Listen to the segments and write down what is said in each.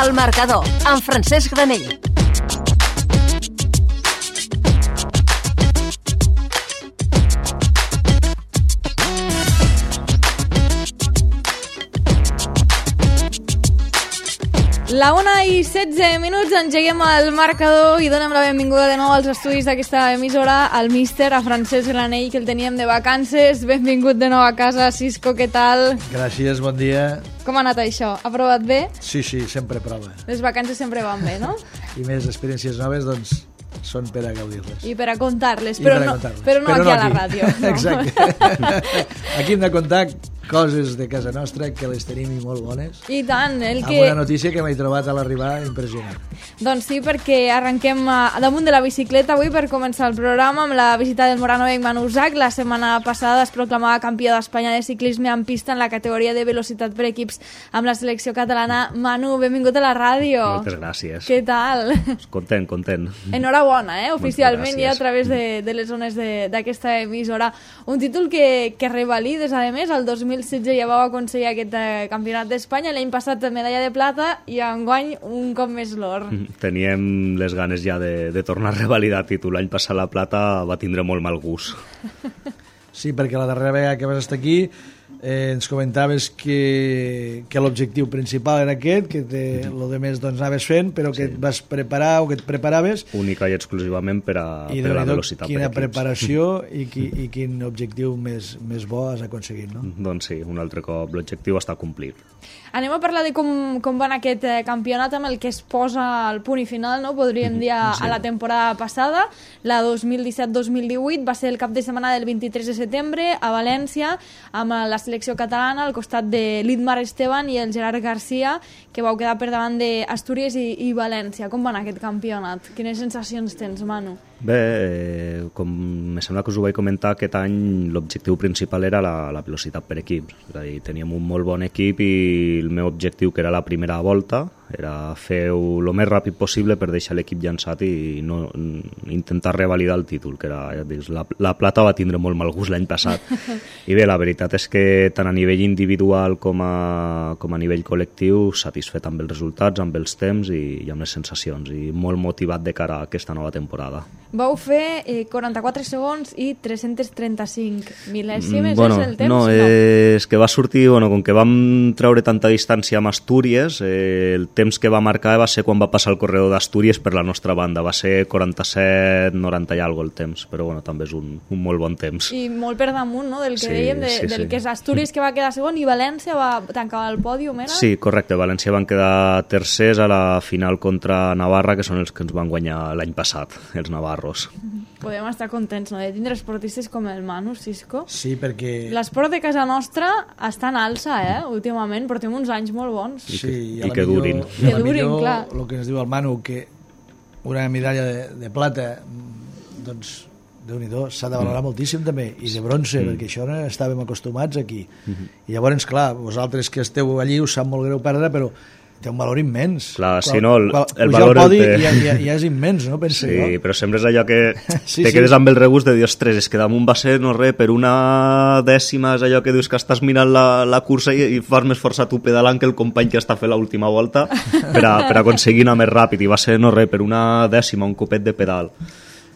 El Marcador, amb Francesc Granell. La 1:16, engeguem el Marcador i donem la benvinguda de nou als estudis d'aquesta emissora al míster, a Francesc Granell, que el teníem de vacances. Benvingut de nou a casa, Cisco, què tal? Gràcies, bon dia. Com ha anat això? Ha provat bé? Sí, sempre prova. Les vacances sempre van bé, no? I més experiències noves, doncs, són per a gaudir-les. I per a contar-les, però no aquí a la ràdio. No? Exacte. Aquí hem de contar coses de casa nostra que les tenim i molt bones. I tant. Amb una notícia que m'he trobat a l'arribar impressionant. Doncs sí, perquè arrenquem damunt de la bicicleta avui per començar el programa amb la visita del moranovenc Manu Zach. La setmana passada es proclamava campió d'Espanya de ciclisme en pista en la categoria de velocitat per equips amb la selecció catalana. Manu, benvingut a la ràdio. Moltes gràcies. Què tal? Content. Enhorabona, oficialment ja a través de les zones d'aquesta emissora. Un títol que revalides, a més, el 2016 ja vau aconseguir aquest campionat d'Espanya, l'any passat medalla de plata i enguany un cop més l'or. Teníem les ganes ja de tornar a revalidar títol. L'any passat la plata va tindre molt mal gust. Sí, perquè la darrera vegada que vas estar aquí ens comentaves que l'objectiu principal era aquest, que el de més doncs, anaves fent, però que et vas preparar o que et preparaves. Única i exclusivament per a la velocitat per equips. Quina preparació i quin objectiu més bo has aconseguit, no? Doncs sí, un altre cop l'objectiu està complit. Anem a parlar de com va anar aquest campionat amb el que es posa el punt i final, no? Podríem dir a la temporada passada, la 2017-2018, va ser el cap de setmana del 23 de setembre a València, amb la selecció catalana al costat de l'Idmar Esteban i el Gerard Garcia, que vau quedar per davant d'Astúries i València. Com va anar aquest campionat? Quines sensacions tens, Manu? Bé, com me sembla que us ho vaig comentar, aquest any l'objectiu principal era la velocitat per equips. És a dir, teníem un molt bon equip i el meu objectiu, que era la primera volta, era fer-ho el més ràpid possible per deixar l'equip llançat i no intentar revalidar el títol, que era, ja dius, la plata va tindre molt mal gust l'any passat. I bé, la veritat és que tant a nivell individual com a nivell col·lectiu, satisfet amb els resultats, amb els temps i amb les sensacions, i molt motivat de cara a aquesta nova temporada. Vau fer 44 segons i 335 mil·lèsimes, bueno, és el temps? No, és que va sortir, com que vam treure tanta distància amb Astúries, el temps que va marcar va ser quan va passar el corredor d'Astúries per la nostra banda, va ser 47, 90 i alguna el temps, però també és un molt bon temps. I molt per damunt, no?, del que dèiem, del que és Astúries, que va quedar segon, i València va tancar el pòdium, era? Sí, correcte, València van quedar tercers a la final contra Navarra, que són els que ens van guanyar l'any passat, els navarros. Podem estar contents, no?, de tindre esportistes com el Manu, Cisco. Sí, perquè l'esport de casa nostra està en alça, últimament, portem uns anys molt bons. Sí, i que durin. Que durin, clar. El que ens diu el Manu, que una medalla de plata, doncs, Déu-n'hi-do, s'ha de valorar moltíssim també, i de bronze, perquè això no estàvem acostumats aquí. I llavors, clar, vosaltres que esteu allí us sap molt greu perdre, però té un valor immens. Clar, si no, el valor el podi ja és immens, no? Penso, sí, no? Però sempre és allò que te quedes amb el regust de dir, ostres, és que damunt va ser, no res, per una dècima, és allò que dius que estàs mirant la cursa i fas més força tu pedalant que el company que està fent l'última volta per aconseguir anar més ràpid, i va ser, no res, per una dècima, un copet de pedal.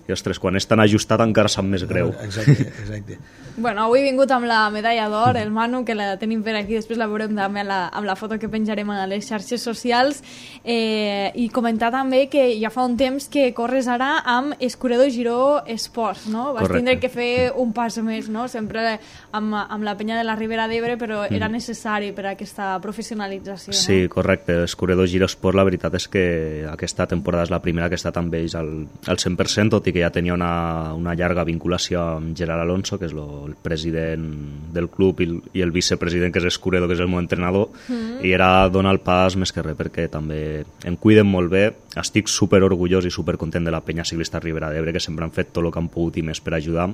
I, ostres, quan és tan ajustat encara sap més greu. Exacte. Bueno, avui he vingut amb la medalla d'or, el Manu, que la tenim per aquí, després la veurem també amb la foto que penjarem a les xarxes socials, i comentar també que ja fa un temps que corres ara amb Escuredor Giró Esports, no? Vas tindre que fer un pas més, no? Sempre amb la penya de la Ribera d'Ebre, però era necessari per a aquesta professionalització, no? Sí, correcte. Escuredor Giró Esports, la veritat és que aquesta temporada és la primera que he estat amb ells al 100%, tot i que ja tenia una llarga vinculació amb Gerard Alonso, que és el president del club, i el vicepresident, que és Escuredor, que és el meu entrenador, i era donar el pas més que res, perquè també em cuiden molt bé. Estic super orgullós i super content de la penya ciclista Ribera d'Ebre, que sempre han fet tot el que han pogut i més per ajudar,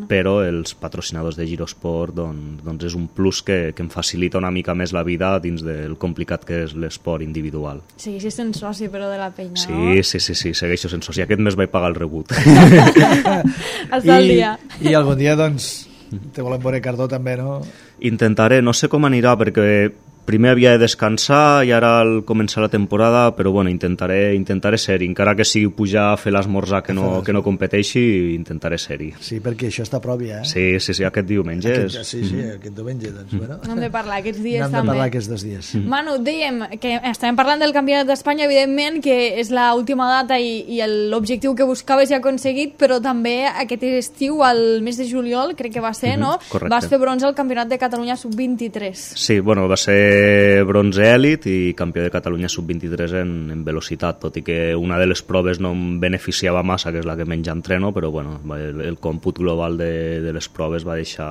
però els patrocinadors de Girosport doncs és un plus que em facilita una mica més la vida dins del complicat que és l'esport individual. Segueixes sent soci, però, de la penya, no? Sí, segueixo sent soci. Aquest mes vaig pagar el rebut. Està al dia. I algun dia, doncs, te volem veure Cardó també, no? Intentaré, no sé com anirà, perquè primer havia de descansar i ara al començar la temporada, però bueno, intentaré ser-hi, encara que sigui pujar a fer l'esmorzar que no competeixi, intentaré ser-hi. Sí, perquè això està a prop ja, Sí, aquest diumenge. Sí, aquest diumenge, doncs, bueno. N'hem de parlar aquests dies N'hem també. de parlar aquests 2 dies. Manu, dèiem que estàvem parlant del Campionat d'Espanya, evidentment, que és l'última data i l'objectiu que buscaves ja aconseguit, però també aquest estiu, al mes de juliol, crec que va ser, no? Correcte. Vas fer bronze al Campionat de Catalunya Sub-23. Sí, bueno, va ser bronze èlit i campió de Catalunya sub-23 en velocitat, tot i que una de les proves no em beneficiava massa, que és la que menys entreno, però bueno, el còmput global de les proves va deixar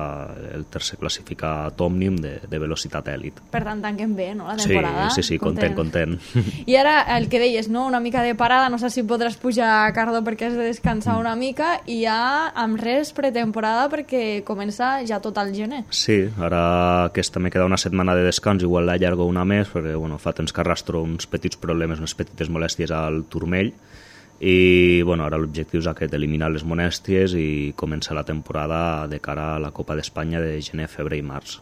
el tercer classificat òmnium de velocitat èlit. Per tant, tanquem bé, no?, la temporada. Sí, content. I ara, el que deies, no?, una mica de parada, no sé si podràs pujar, Cardo, perquè has de descansar una mica, i ja amb res pretemporada perquè comença ja tot el gener. Sí, ara aquesta me queda una setmana de descans, igual l'allargo una més, perquè bueno, fa temps que arrastro uns petits problemes, unes petites molèsties al turmell, i bueno, ara l'objectiu és aquest, eliminar les molèsties i començar la temporada de cara a la Copa d'Espanya de gener, febrer i març.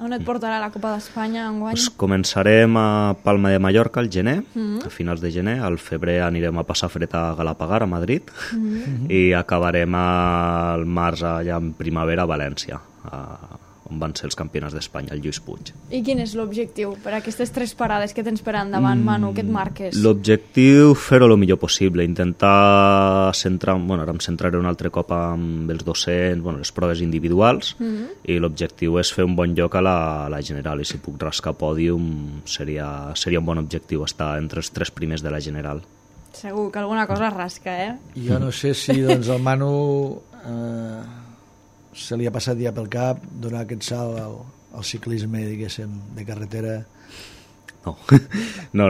On et portarà la Copa d'Espanya enguany? Pues començarem a Palma de Mallorca al gener, a finals de gener, al febrer anirem a passar fred a Galapagar, a Madrid, i acabarem al març allà en primavera a València, on van ser els campionats d'Espanya, el Lluís Puig. I quin és l'objectiu per aquestes 3 parades que tens per endavant, Manu, que et marques? L'objectiu, fer-ho el millor possible, intentar centrar... Bueno, ara em centraré un altre cop amb els 200, les proves individuals, i l'objectiu és fer un bon lloc a la general, i si puc rascar pòdium seria un bon objectiu, estar entre els 3 primers de la general. Segur que alguna cosa rasca, eh? Jo no sé si doncs, el Manu se li ha passat ja pel cap donar aquest salt al ciclisme, diguéssim, de carretera. No,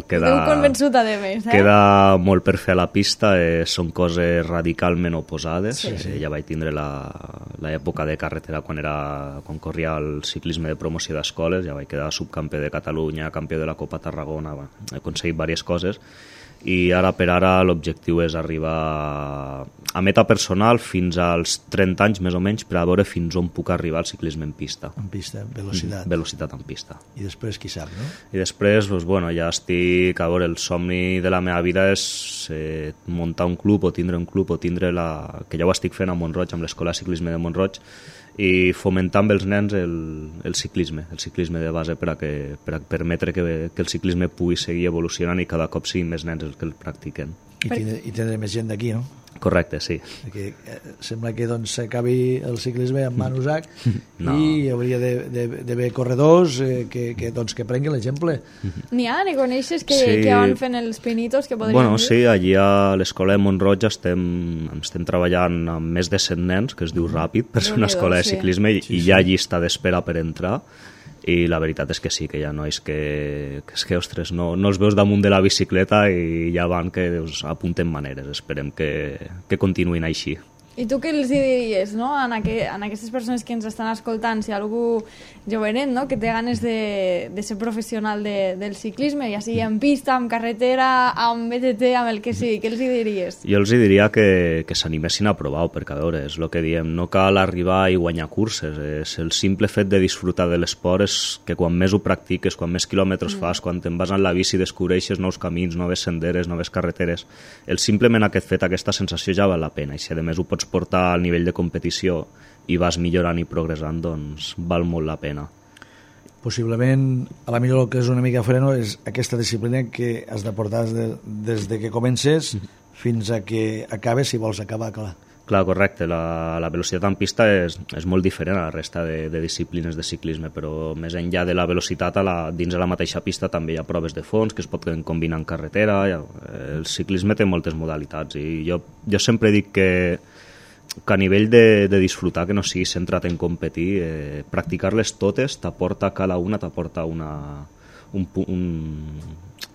queda... Ho convençut a més, Queda molt per fer a la pista, són coses radicalment oposades. Sí. Ja vaig tindre l'època de carretera quan corria el ciclisme de promoció d'escoles, ja vaig quedar subcampió de Catalunya, campió de la Copa Tarragona, he aconseguit diverses coses, i ara per ara l'objectiu és arribar a meta personal fins als 30 anys més o menys, per a veure fins on puc arribar al ciclisme en pista. En pista, velocitat. Velocitat en pista. I després, qui sap, no? I després, ja estic... A veure, el somni de la meva vida és muntar un club o tindre un club o tindre que ja ho estic fent a Mont-roig, amb l'Escola de Ciclisme de Mont-roig, i fomentar amb els nens el ciclisme de base per a permetre que el ciclisme pugui seguir evolucionant i cada cop siguin més nens els que el practiquen. I tindré més gent d'aquí, no? Correcte, sí. Perquè sembla que s'acabi el ciclisme amb Manu Zach i hauria d'haver corredors que prenguin l'exemple. N'hi coneixes que van fent els pinitos que podrien dir? Sí, allí a l'Escola de Mont-roig estem treballant amb més de 100 nens, que es diu Ràpid, per ser una escola de ciclisme, i hi ha llista d'espera per entrar, i la veritat és que sí, que hi ha nois que ostres, no els veus damunt de la bicicleta i ja van que apunten maneres. Esperem que continuïn així. I tu què els diries, no?, en aquestes persones que ens estan escoltant, si algú jovenet, no?, que té ganes de ser professional del ciclisme, ja sigui en pista, en carretera, amb BTT, amb el que sigui, què els diries? Jo els diria que s'animessin a provar-ho, perquè a veure, és el que diem, no cal arribar i guanyar curses, és el simple fet de disfrutar de l'esport és que quan més ho practiques, quan més quilòmetres fas, quan te'n vas en la bici descobreixes nous camins, noves senderes, noves carreteres, simplement aquest fet, aquesta sensació ja val la pena, i si a més ho pots portar al nivell de competició i vas millorant i progressant, doncs val molt la pena. Possiblement, a la millor el que és una mica freno és aquesta disciplina que has de portar des de que comences fins a que acabes, si vols acabar, clar. Clar, correcte, la velocitat en pista és molt diferent a la resta de disciplines de ciclisme, però més enllà de la velocitat, dins de la mateixa pista també hi ha proves de fons que es poden combinar en carretera. El ciclisme té moltes modalitats i jo sempre dic que a nivell de disfrutar, que no siguis centrat en competir, practicar-les totes t'aporta, cada una t'aporta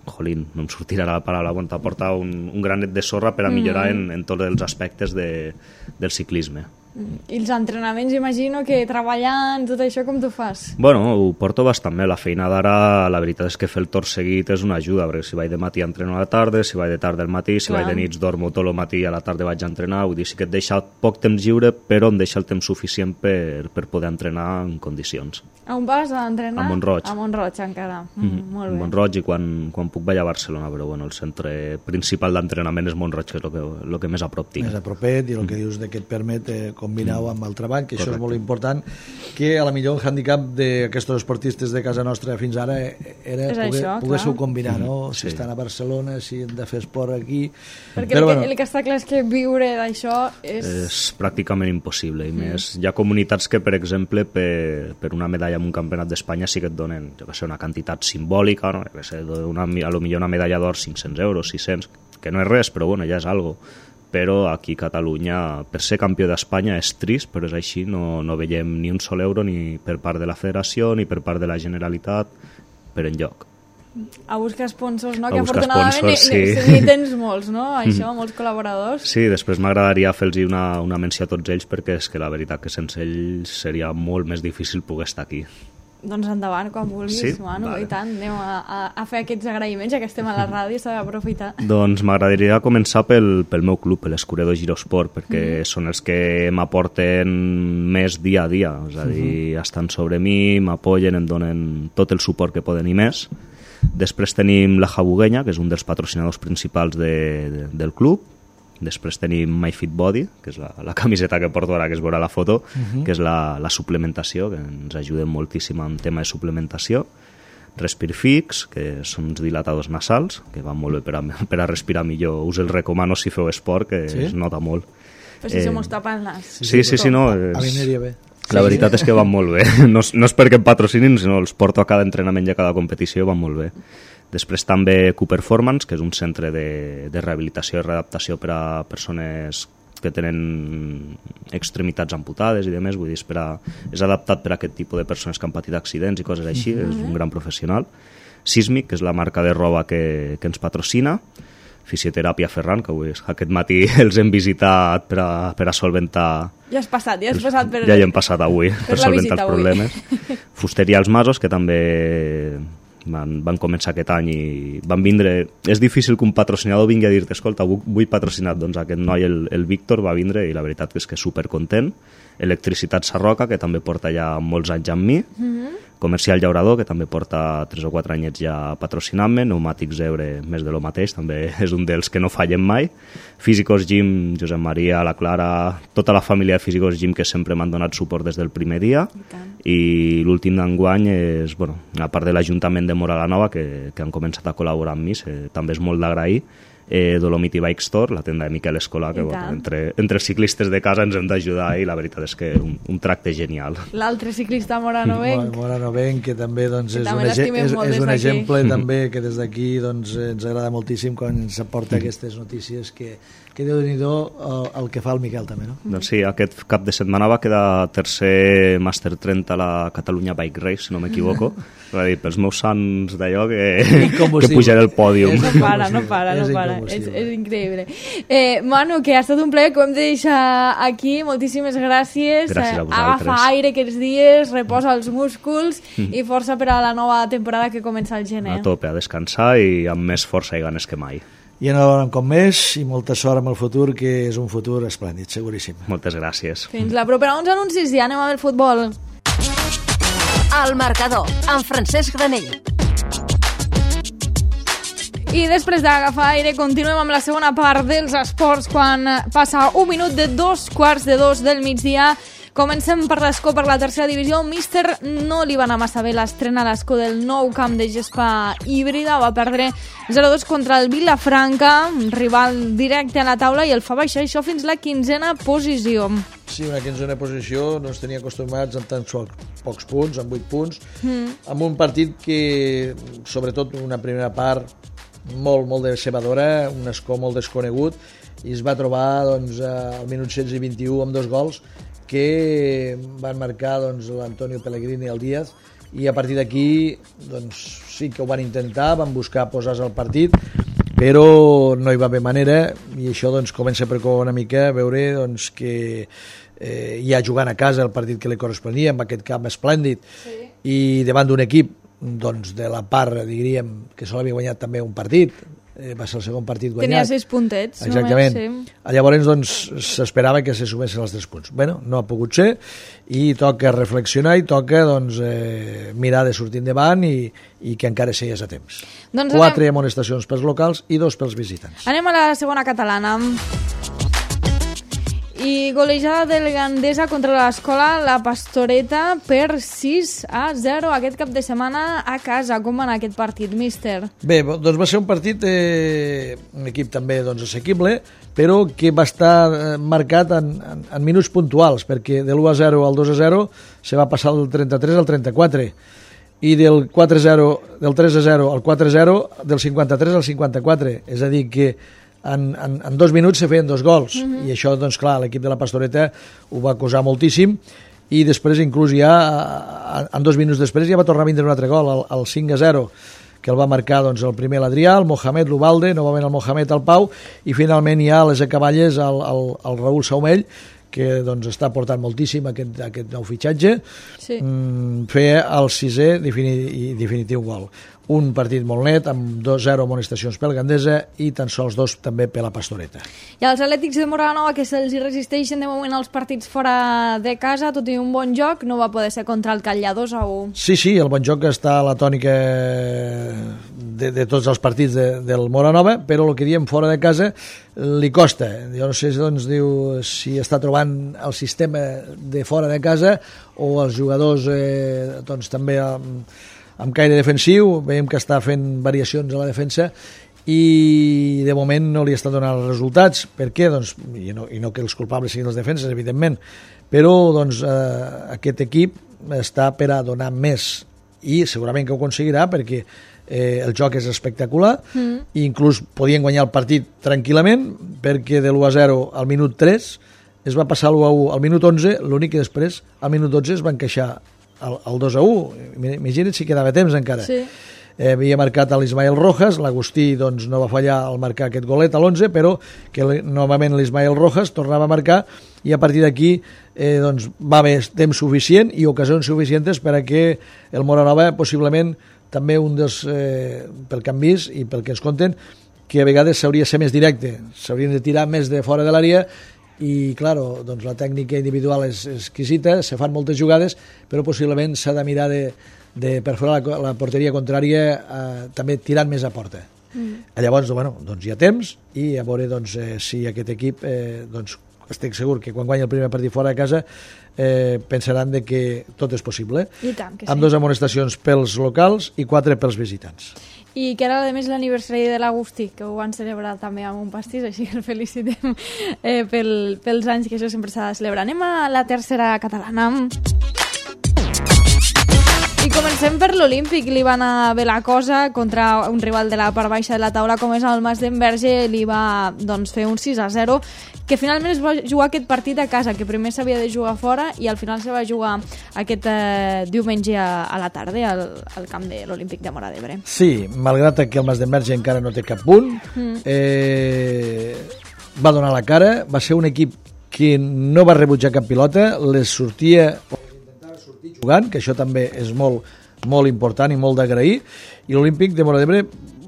jolín, no em sortirà la paraula, t'aporta un granet de sorra per a millorar en tots els aspectes del ciclisme. I els entrenaments, imagino que treballant, tot això, com t'ho fas? Bueno, ho porto bastant bé. La feina d'ara, la veritat és que fer el torn seguit és una ajuda, perquè si vaig de matí entreno a la tarda, si vaig de tarda al matí, si vaig de nits dormo tot el matí i a la tarda vaig a entrenar. Vull dir, sí que et deixa poc temps lliure, però em deixa el temps suficient per poder entrenar en condicions. A on vas a entrenar? A Mont-roig. A Mont-roig, encara. Molt bé. A Mont-roig, i quan puc vaig a Barcelona, però bueno, el centre principal d'entrenament és Mont-roig, que és el que més a prop tinc. Més a propet, i el que dius que et permet combinar-ho amb el treball, que això és molt important, que a la millor el handicap d'aquests esportistes de casa nostra fins ara era poder-s'ho combinar, no? Si estan a Barcelona, si han de fer esport aquí... Perquè el que està clar és que viure d'això és pràcticament impossible, i més hi ha comunitats que, per exemple, per una medalla en un campionat d'Espanya sí que et donen, jo que sé, una quantitat simbòlica, no? Que sé, a lo millor una medalla d'or 500 euros, 600, que no és res, però bueno, ja és algo. Però aquí a Catalunya, per ser campió d'Espanya és trist, però és així, no veiem ni un sol euro ni per part de la federació ni per part de la Generalitat per enlloc. A buscar sponsors, no? Que afortunadament ni tens molts, no? Això, molts col·laboradors. Sí, després m'agradaria fer-los una menció a tots ells, perquè és que la veritat que sense ells seria molt més difícil poder estar aquí. Doncs endavant, quan vulguis, Manu, i tant, anem a fer aquests agraïments, ja que estem a la ràdio, s'ha d'aprofitar. Doncs m'agradaria començar pel meu club, l'Escuredor Girosport, perquè són els que m'aporten més dia a dia, és a dir, estan sobre mi, m'apoyen, em donen tot el suport que poden i més. Després tenim la Jabuguenya, que és un dels patrocinadors principals del club. Després tenim My Fit Body, que és la camiseta que porto ara, que es veurà la foto, que és la suplementació, que ens ajuden moltíssim en tema de suplementació. Respirfix, que són uns dilatadors nasals, que van molt bé per a respirar millor. Us els recomano si feu esport, que es nota molt. Però si se mos tapen el nas. Sí, no. A mi aniria bé. La veritat és que van molt bé. No és perquè em patrocinin, sinó els porto a cada entrenament i a cada competició, van molt bé. Després també Q-Performance, que és un centre de rehabilitació i readaptació per a persones que tenen extremitats amputades i demés, vull dir, és adaptat per a aquest tipus de persones que han patit accidents i coses així, és un gran professional. Sísmic, que és la marca de roba que ens patrocina. Fisioteràpia Ferran, que avui aquest matí els hem visitat per a solventar... Ja has passat per... Ja hi hem passat avui, per solventar els problemes. Fusteria Els Masos, que també van començar aquest any i van vindre... És difícil que un patrocinador vingui a dir-te, escolta, vull patrocinar, doncs aquest noi, el Víctor, va vindre i la veritat és que és supercontent. Electricitat Sarroca, que també porta ja molts anys amb mi. Comercial Llaurador, que també porta 3 o 4 anyets ja patrocinant-me. Pneumàtics Ebre, més de lo mateix, també és un dels que no fallen mai. Físicos Gym, Josep Maria, la Clara, tota la família de Físicos Gym que sempre m'han donat suport des del primer dia. I l'últim d'enguany és, bueno, a part de l'Ajuntament de Móra la Nova, que han començat a col·laborar amb mi, també és molt d'agrair. Dolomiti Bike Store, la tenda de Miquel Escolà, que bueno, entre ciclistes de casa ens hem d'ajudar i la veritat és que un tracte genial. L'altre ciclista Moranovenc. Moranovenc, que també doncs, és un exemple també que des d'aquí doncs, ens agrada moltíssim quan ens aporta aquestes notícies que Déu-n'hi-do el que fa el Miquel també, no? Doncs sí, aquest cap de setmana va quedar tercer Master 30 a la Catalunya Bike Race, si no m'equivoco. Va dir, pels meus sants d'allò que pujaré al pòdium. No para. És increïble. Manu, que ha estat un plaer, que ho hem de deixar aquí. Moltíssimes gràcies. Gràcies a vosaltres. Agafa aire aquests dies, reposa els músculs i força per a la nova temporada que comença al gener. A tope, a descansar i amb més força i ganes que mai. I enhorabona com més i molta sort amb el futur, que és un futur esplèndid, seguríssim. Moltes gràcies. Fins la propera. Uns anuncis i anem a veure el futbol. El marcador, amb Francesc Granell. I després d'agafar aire continuem amb la segona part dels esports quan passa 1 minut de 2:45 del migdia. Comencem per l'escó, per la tercera divisió. Míster no li va anar massa bé l'estrena a l'escó del nou camp de gespa híbrida. Va perdre 0-2 contra el Vilafranca, un rival directe a la taula, i el fa baixar això fins la 15a posició. Sí, una 15a posició, no ens tenia acostumats amb tants pocs punts, amb 8 punts, amb un partit que, sobretot una primera part, molt decebedora, un escó molt desconegut, i es va trobar doncs, al minut 16 i 21 amb 2 gols que van marcar doncs, l'Antonio Pellegrini i el Díaz, i a partir d'aquí doncs, sí que ho van intentar, van buscar posar-se al partit, però no hi va haver manera, i això doncs, comença per una mica a veure doncs, que ja jugant a casa el partit que li corresponia amb aquest camp esplèndid i davant d'un equip doncs, de la part, diríem, que sol havia guanyat també un partit, va ser el segon partit guanyat. Tenia 6 puntets. Exactament. Només, sí. Llavors, doncs, s'esperava que se sumessin els 3 punts. Bueno, no ha pogut ser i toca reflexionar i toca doncs, mirar de sortir endavant i que encara sigués a temps. Doncs 4 amonestacions pels locals i 2 pels visitants. Anem a la segona catalana. I golejada del Gandesa contra l'Escola La Pastoreta per 6-0 aquest cap de setmana a casa. Com va anar aquest partit, míster? Bé, doncs va ser un partit, un equip també doncs, assequible, però que va estar marcat en minuts puntuals, perquè de l'1-0 al 2-0 se va passar del 33 al 34, i del 4-0, del 3-0 al 4-0, del 53 al 54. És a dir, que en 2 minuts se feien 2 gols i això, doncs clar, l'equip de la Pastoreta ho va acusar moltíssim i després inclús ja en 2 minuts després ja va tornar a vindre un altre gol, el 5-0, que el va marcar doncs, el primer l'Adrià, el Mohamed l'Ubalde, novament el Mohamed al Pau i finalment ja a les acaballes el Raül Saumell, que doncs, està portant moltíssim aquest nou fitxatge, feia el 6è i definitiu gol. Un partit molt net, amb 2-0 amonestacions pel Gandesa i tan sols 2 també per la Pastoreta. I els Atlètics de Moranova, que se'ls resisteixen de moment els partits fora de casa, tot i un bon joc, no va poder ser contra el Catllà 2-1. Sí, el bon joc està a la tònica de tots els partits del Moranova, però el que diem fora de casa li costa. Jo no sé doncs, si està trobant el sistema de fora de casa o els jugadors doncs, també amb caire defensiu, veiem que està fent variacions a la defensa i de moment no li està donant els resultats. Per què? Doncs, i no que els culpables siguin les defenses, evidentment, però doncs, aquest equip està per a donar més i segurament que ho aconseguirà perquè el joc és espectacular i inclús podien guanyar el partit tranquil·lament perquè de l'1-0 al minut 3 es va passar l'1-1 al minut 11, l'únic que després al minut 12 es van queixar el 2-1, imagina't si quedava temps encara. Sí. Havia marcat l'Ismael Rojas, l'Agustí doncs, no va fallar al marcar aquest golet a l'11, però que novament l'Ismael Rojas tornava a marcar i a partir d'aquí doncs, va haver temps suficient i ocasions suficients per a que el Moranova possiblement també un dels, pel que han vist i pel que ens conten, que a vegades s'hauria de ser més directe, s'haurien de tirar més de fora de l'àrea i, claro, doncs la tècnica individual és exquisita, se fan moltes jugades, però possiblement s'ha de mirar de perforar la porteria contrària també tirant més a porta. Llavors, doncs hi ha temps i a veure doncs, si aquest equip, doncs, estic segur que quan guanya el primer partit fora de casa pensaran de que tot és possible. I tant que sí. Amb 2 amonestacions pels locals i 4 pels visitants. I que era, a més, l'aniversari de l'Agustí, que ho van celebrar també amb un pastís, així que el felicitem pels anys, que això sempre s'ha de celebrar. Anem a la tercera catalana. I comencem per l'Olímpic. Li va anar bé la cosa contra un rival de la part baixa de la taula com és el Mas d'Enverge. Li va doncs, fer un 6-0, que finalment es va jugar aquest partit a casa, que primer s'havia de jugar fora i al final se va jugar aquest diumenge a la tarda al camp de l'Olímpic de Móra d'Ebre. Sí, malgrat que el Mas d'Enverge encara no té cap punt, va donar la cara, va ser un equip que no va rebutjar cap pilota, les sortia jugant, que això també és molt, molt important i molt d'agrair, i l'Olímpic de Móra d'Ebre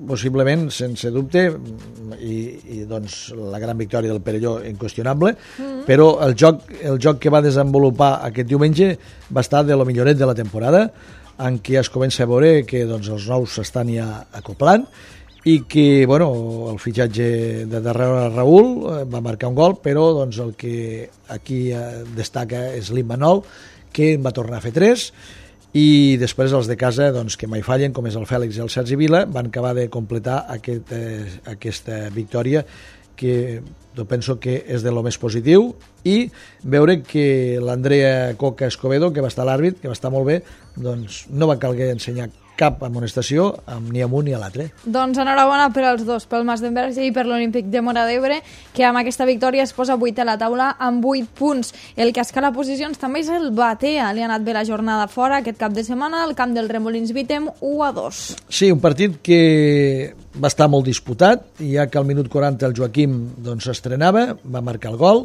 possiblement, sense dubte, i doncs la gran victòria del Perelló inqüestionable, però el joc que va desenvolupar aquest diumenge va estar de lo milloret de la temporada, en què es comença a veure que doncs, els nous s'estan ja acoplant i que el fitxatge de darrere Raül va marcar un gol, però doncs, el que aquí destaca és l'Immanol, que en va tornar a fer 3, i després els de casa, doncs, que mai fallen, com és el Fèlix i el Sergi Vila, van acabar de completar aquesta victòria, que jo penso que és de lo més positiu, i veure que l'Andrea Coca Escobedo, que va estar a l'àrbit, que va estar molt bé, doncs no va calguer ensenyar cap amonestació ni amb un ni a l'altre. Doncs enhorabona per als dos, pel Mas d'Enverge i per l'Olímpic de Móra d'Ebre, que amb aquesta victòria es posa 8 a la taula amb 8 punts. El que escala posicions també és el Batea. Li ha anat bé la jornada fora aquest cap de setmana al camp del Remolins Vitem 1-2. Sí, un partit que va estar molt disputat, ja que al minut 40 el Joaquim doncs, s'estrenava, va marcar el gol,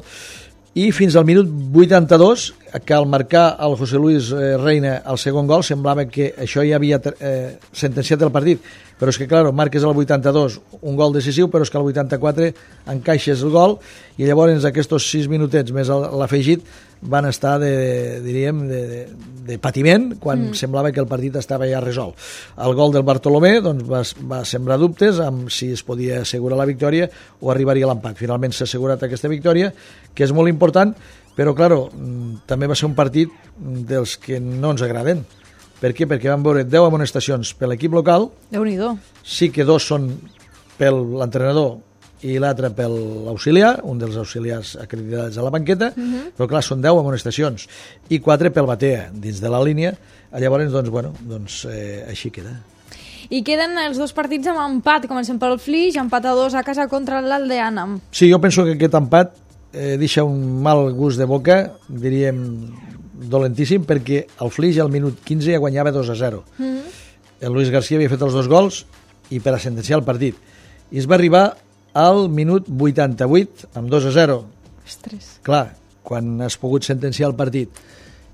i fins al minut 82, que al marcar el José Luis Reina el segon gol, semblava que això ja havia sentenciat el partit, però és que, clar, marques al 82 un gol decisiu, però és que al 84 encaixes el gol, i llavors aquests 6 minutets més l'afegit van estar de patiment, quan semblava que el partit estava ja resolt. El gol del Bartolomé doncs, va sembrar dubtes amb si es podia assegurar la victòria o arribaria a l'empat. Finalment s'ha assegurat aquesta victòria, que és molt important, però, clar, també va ser un partit dels que no ens agraden. Per què? Perquè vam veure 10 amonestacions per l'equip local. Déu-n'hi-do. Sí que 2 són per l'entrenador i l'altre per l'auxiliar, un dels auxiliars acreditats a la banqueta, però clar, són 10 amonestacions, i 4 pel batea, dins de la línia. Llavors, així queda. I queden els 2 partits amb empat. Comencem pel Flix, empat a 2 a casa contra l'Aldeana. Sí, jo penso que aquest empat deixa un mal gust de boca, diríem dolentíssim, perquè el Flix al minut 15 ja guanyava 2-0. El Luis García havia fet els 2 gols i per a sentenciar el partit. I es va arribar al minut 88 amb 2-0. Ostres. Clar, quan has pogut sentenciar el partit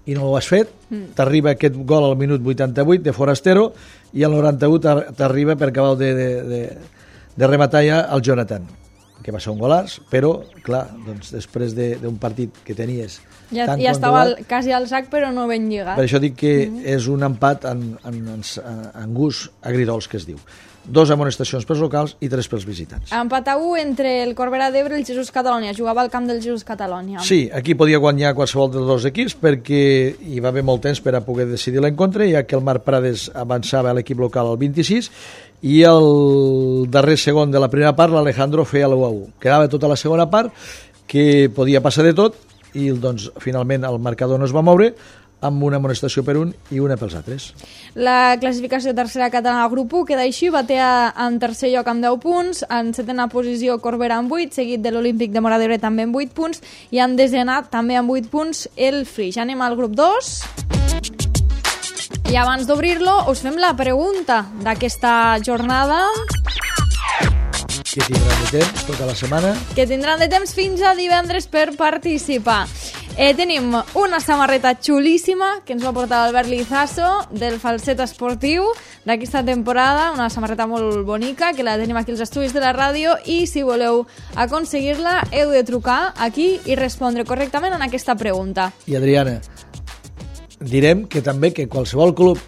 i no ho has fet, t'arriba aquest gol al minut 88 de Forastero i al 91 t'arriba per acabar de rematar ja el Jonathan, que va ser un golaç, però, clar, doncs, després d'un partit que tenies ja estava quasi al sac, però no ben lligat. Per això dic que és un empat en gust agridols, que es diu. 2 amonestacions pels locals i 3 pels visitants. Empat a 1 entre el Corbera d'Ebre i el Jesús Catalònia. Jugava al camp del Jesús Catalònia. Sí, aquí podia guanyar qualsevol dels 2 equips perquè hi va haver molt temps per a poder decidir l'encontre, ja que el Marc Prades avançava a l'equip local al 26 i el darrer segon de la primera part l'Alejandro feia l'1-1. Quedava tota la segona part, que podia passar de tot, i doncs finalment el marcador no es va moure, amb una amonestació per un i una pels altres. La classificació tercera catalana grup 1 queda així: Batea en tercer lloc amb 10 punts, en setena posició Corbera amb 8, seguit de l'Olímpic de Móra d'Ebre també amb 8 punts, i en desena també amb 8 punts el Flix. Ja anem al grup 2. I abans d'obrir-lo us fem la pregunta d'aquesta jornada. Que tindran de temps tota la setmana. Que tindran de temps fins a divendres per participar. Tenim una samarreta xulíssima que ens va portar l'Albert Lizaso del Falset Esportiu d'aquesta temporada, una samarreta molt bonica que la tenim aquí als estudis de la ràdio, i si voleu aconseguir-la heu de trucar aquí i respondre correctament en aquesta pregunta. I Adriana, direm que també que qualsevol club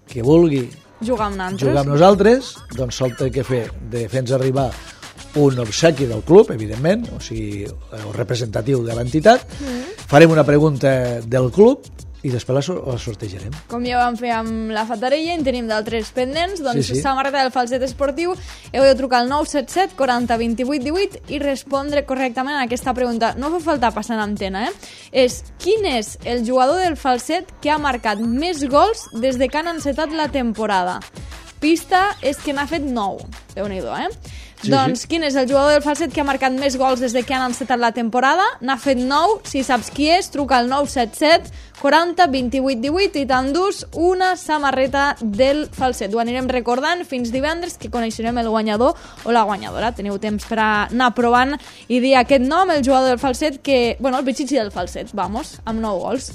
que vulgui jugar amb nosaltres, doncs sol té que fer de fer-nos arribar un obsequi del club, evidentment, o sigui, representatiu de l'entitat. Farem una pregunta del club i després la sortejarem. Com ja vam fer amb la Fatarella, en tenim d'altres pendents, doncs sí. Samarreta del Falset Esportiu, heu de trucar al 977 40 28 18 i respondre correctament a aquesta pregunta. No fa falta passar en antena, És quin és el jugador del Falset que ha marcat més gols des de que han encetat la temporada? Pista és que n'ha fet 9. Déu-n'hi-do, Sí, doncs, quin és el jugador del Falset que ha marcat més gols des de que han encetat la temporada? N'ha fet 9. Si saps qui és, truca al 977 40 28 18 i t'endús una samarreta del Falset. Ho anirem recordant fins divendres, que coneixerem el guanyador o la guanyadora. Teniu temps per anar provant i dir aquest nom, el jugador del Falset, que, bueno, el Pichichi del Falset, vamos, amb 9 gols.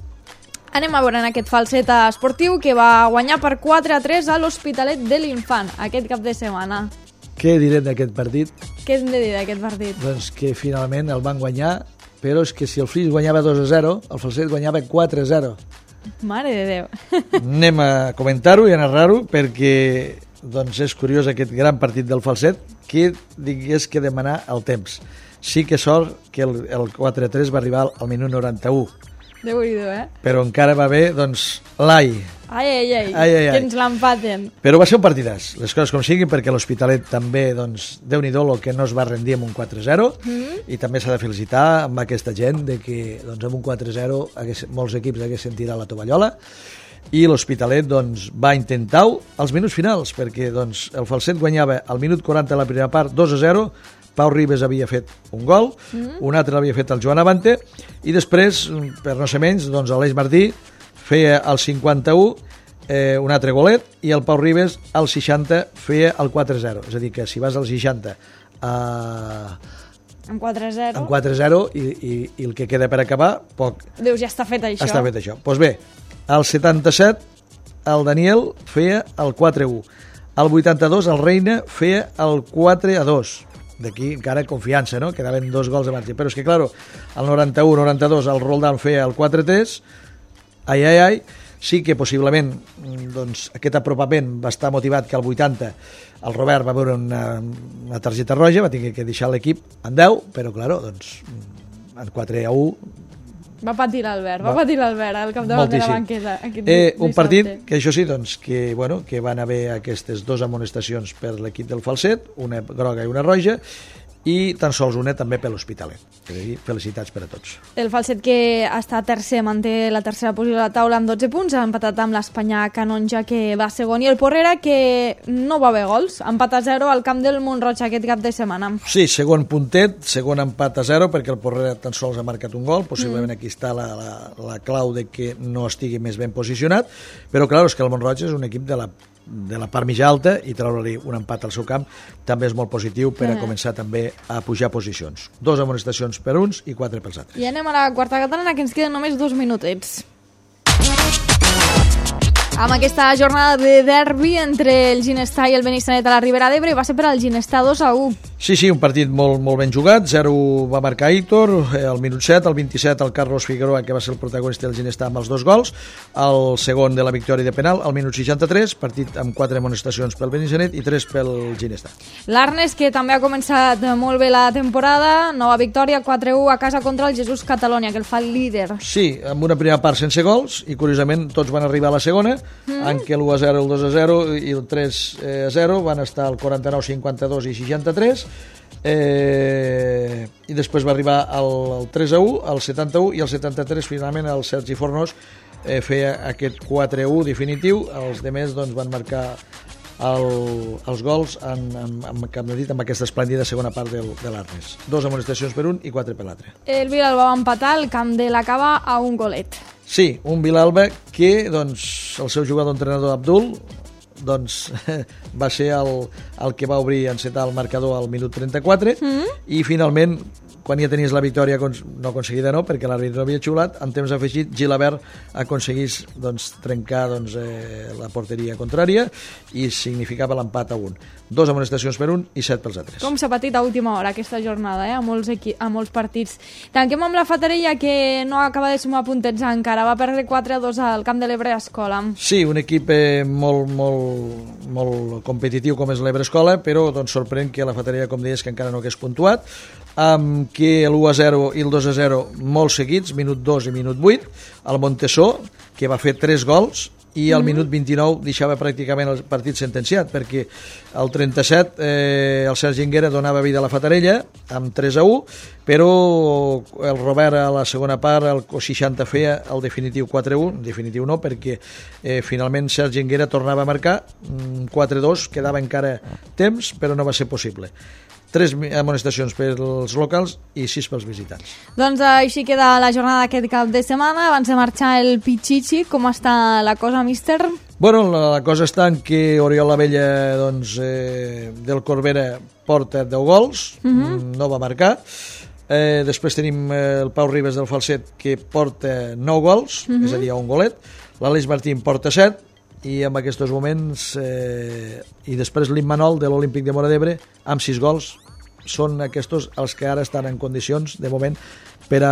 Anem a veure en aquest Falset Esportiu que va guanyar per 4-3 a l'Hospitalet de l'Infant aquest cap de setmana. Què direm d'aquest partit? Què hem de dir d'aquest partit? Doncs que finalment el van guanyar, però és que si el Flix guanyava 2-0, el Falset guanyava 4-0. Mare de Déu. Anem a comentar-ho i a narrar-ho perquè doncs, és curiós aquest gran partit del Falset, que digués que demanar el temps. Sí que sort que el 4-3 va arribar al minut 91. Déu-n'hi-do, Però encara va bé, doncs, l'ai. Ai, que ens l'empaten. Però va ser un partidàs, les coses com siguin, perquè l'Hospitalet també, doncs, Déu-n'hi-do el que no es va rendir amb un 4-0, i també s'ha de felicitar amb aquesta gent de que doncs, amb un 4-0 molts equips haguessin tirat la tovallola, i l'Hospitalet doncs, va intentar-ho als minuts finals, perquè doncs, el Falset guanyava al minut 40 de la primera part 2-0, Pau Ribes havia fet un gol, un altre l'havia fet el Joan Avante, i després, per no ser menys, doncs Aleix Martí feia el 51, un altre golet, i el Pau Ribes al 60 feia el 4-0. És a dir, que si vas al 60 En 4-0. En 4-0 i el que queda per acabar, poc. Dius, ja està fet això. Està fet això. Doncs bé, al 77 el Daniel feia el 4-1. Al 82 el Reina feia el 4-2. D'aquí encara confiança, no? Quedaven 2 gols de marge. Però és que, claro, al 91-92 el Roldán feia el 4-3. Ai. Sí que possiblement doncs, aquest apropament va estar motivat que al 80 el Robert va veure una targeta roja, va tenir que deixar l'equip en 10, però, claro, doncs, en 4-1... Va patir l'Albert al capdavant de la banqueta. Un partit que això sí, doncs, que van haver aquestes 2 amonestacions per l'equip del Falset, una groga i una roja, i tan sols una també per l'Hospitalet. Felicitats per a tots. El Falset, que està tercer, manté la tercera posició a la taula amb 12 punts, ha empatat amb l'Espanyà Canonja, que va segon, i el Porrera, que no va haver gols, empat a 0 al camp del Mont-roig aquest cap de setmana. Sí, segon puntet, segon empat a 0, perquè el Porrera tan sols ha marcat un gol, possiblement aquí està la clau de que no estigui més ben posicionat, però clar, és que el Mont-roig és un equip de la part mitja alta, i treure-li un empat al seu camp també és molt positiu per a començar també a pujar posicions. 2 amonestacions per uns i 4 pels altres. I anem a la quarta catalana, que ens queden només 2 minutets. Amb aquesta jornada de derbi entre el Ginestar i el Benissanet a la Ribera d'Ebre, va ser per al Ginestar 2-1. Sí, un partit molt ben jugat. 0 va marcar Aitor, al minut 7, al 27 el Carlos Figueroa, que va ser el protagonista del Ginestar amb els 2 gols, el segon de la victòria de penal, al minut 63, partit amb 4 amonestacions pel Benissanet i 3 pel Ginestar. L'Arnes, que també ha començat molt bé la temporada, nova victòria, 4-1 a casa contra el Jesús Catalonia, que el fa líder. Sí, amb una primera part sense gols, i curiosament tots van arribar a la segona, en què l'1-0, el 2-0 i el 3-0 van estar al 49, 52 i 63, i després va arribar el 3-1, el 71 i el 73 finalment el Sergi Fornós feia aquest 4-1 definitiu. Els demés doncs, van marcar els gols amb aquesta esplèndida segona part de l'Arnes. 2 amonestacions per un i 4 per l'altre. El Vilalba va empatar el camp de la Cava a un golet. Sí, un Vilalba que doncs, el seu jugador-entrenador Abdul doncs, va ser el que va obrir encetar el marcador al minut 34 i finalment, quan ja tenies la victòria no aconseguida, no, perquè l'àrbitre no havia xiulat, en temps afegit Gilabert aconseguís doncs, trencar la porteria contrària i significava l'empat a 1. 2 amonestacions per un i 7 pels altres. Com s'ha patit a última hora aquesta jornada, a molts partits. Tanquem amb la Fatarella, que no acaba de sumar puntets encara, va perdre 4-2 al camp de l'Ebre Escola. Sí, un equip molt competitiu com és l'Ebre Escola, però doncs, sorprèn que la Fatarella, com deies, que encara no hagués puntuat, amb que l'1-0 i el 2-0 molt seguits, minut 2 i minut 8, el Montesó, que va fer 3 gols, i al minut 29 deixava pràcticament el partit sentenciat, perquè al 37 el Sergi Enguera donava vida a la Fatarella amb 3-1, però el Robert a la segona part, el 60 feia el definitiu 4-1, definitiu no, perquè finalment Sergi Enguera tornava a marcar 4-2, quedava encara temps, però no va ser possible. 3 amonestacions pels locals i 6 pels visitants. Doncs així queda la jornada d'aquest cap de setmana. Abans de marxar el Pichichi, com està la cosa, míster? Bueno, la cosa està en que Oriol Lavella doncs, del Corbera porta 10 gols, no va marcar. Després tenim el Pau Ribes del Falset, que porta 9 gols, és a dir, un golet. L'Aleix Martín porta 7, i en aquests moments i després l'Immanol de l'Olímpic de Móra d'Ebre amb 6 gols. Són aquests els que ara estan en condicions de moment per a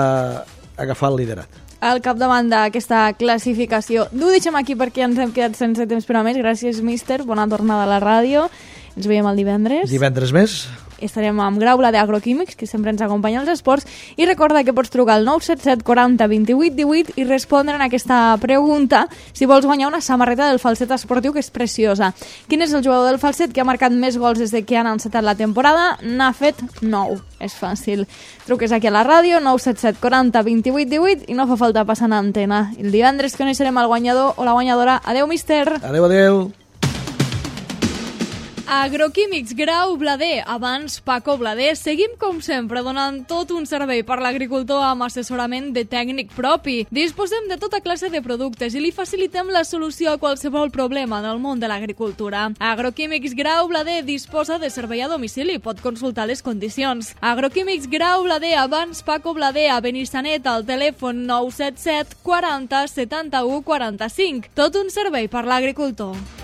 agafar el liderat al capdavant d'aquesta classificació. No ho deixem aquí perquè ens hem quedat sense temps per a més. Gràcies, míster, bona tornada a la ràdio, ens veiem el divendres més. Estarem amb Graula d'Agroquímics, que sempre ens acompanya als esports, i recorda que pots trucar al 977 40 28 18 i respondre en aquesta pregunta si vols guanyar una samarreta del Falset esportiu, que és preciosa. Quin és el jugador del Falset que ha marcat més gols des de que han encetat la temporada? N'ha fet 9. És fàcil. Truques aquí a la ràdio, 977 40 28 18, i no fa falta passar en antena. El divendres coneixerem el guanyador o la guanyadora. Adeu, míster! Adeu. Agroquímics Grau Blader, abans Paco Blader. Seguim, com sempre, donant tot un servei per l'agricultor amb assessorament de tècnic propi. Disposem de tota classe de productes i li facilitem la solució a qualsevol problema del món de l'agricultura. Agroquímics Grau Blader disposa de servei a domicili, pot consultar les condicions. Agroquímics Grau Blader, abans Paco Blader, a Benissanet, al telèfon 977 40 71 45. Tot un servei per l'agricultor.